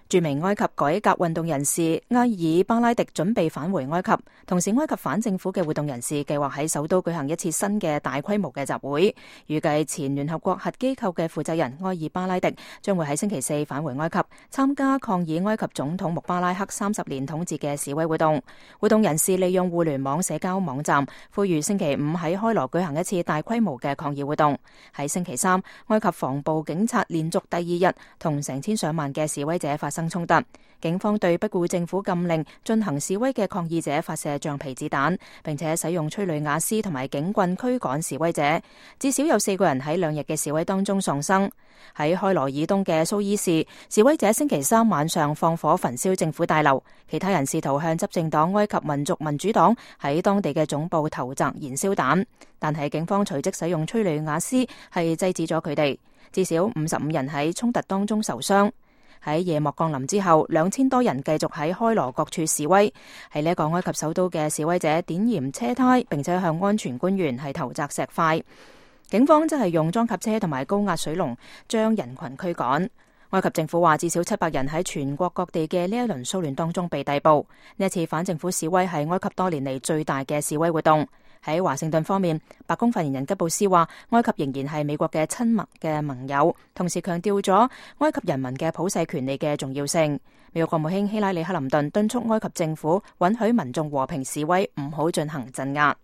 著名埃及改革運動人士埃爾巴拉迪準備返回埃及，同時埃及反政府嘅活動人士計劃喺首都舉行一次新嘅大規模嘅集會。預計前聯合國核機構嘅負責人埃爾巴拉迪將會喺星期四返回埃及，參加抗議埃及總統穆巴拉克30年統治嘅示威活動。活動人士利用互聯網社交網站呼籲星期五喺開羅舉行一次大規模嘅抗議活動。喺星期三，埃及防暴警察連續第二日同成千上萬嘅示威者發生衝突，警方對不顧政府禁令進行示威嘅抗議者發射橡皮子彈，並且使用催淚瓦斯同埋警棍驅趕示威者。至少有4個人喺2日嘅示威當中喪生。喺開羅以東嘅蘇伊士，示威者星期三晚上放火焚燒政府大樓，其他人試圖向執政黨埃及民族民主黨喺當地嘅總部投擲燃燒彈，但係警方隨即使用催淚瓦斯係制止咗佢哋。至少55人喺衝突當中受傷。喺夜幕降臨之後，2000多人繼續喺開羅各處示威。喺呢一個埃及首都嘅示威者點燃車胎，並且向安全官員係投擲石塊。警方則係用裝甲車同埋高壓水龍將人群驅趕。埃及政府話至少700人喺全國各地嘅呢一輪騷亂當中被逮捕。呢一次反政府示威係埃及多年嚟最大嘅示威活動。喺華盛頓方面，白宮發言人吉布斯話，埃及仍然係美國嘅親密嘅盟友，同時強調咗埃及人民嘅普世權利嘅重要性。美國國務卿希拉里克林頓敦促埃及政府允許民眾和平示威，唔好進行鎮壓。